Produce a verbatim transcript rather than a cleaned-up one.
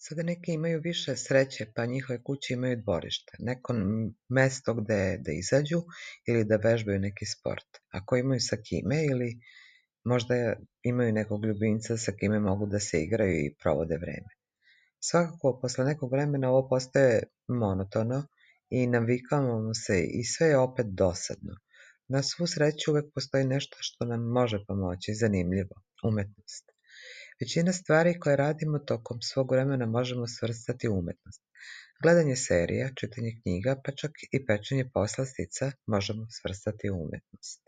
Sada neki imaju više sreće, pa njihove kuće imaju dvorište, neko m- mesto gde da izađu ili da vežbaju neki sport. Ako imaju sa kime ili možda imaju nekog ljubimca sa kime mogu da se igraju i provode vreme. Svakako, posle nekog vremena ovo postaje monotono i navikavamo se i sve je opet dosadno. Na svu sreću uvek postoji nešto što nam može pomoći, zanimljivo, umetnost. Većina stvari koje radimo tokom svog vremena možemo svrstati u umetnost. Gledanje serija, čitanje knjiga, pa čak i pečenje poslastica možemo svrstati u umetnost.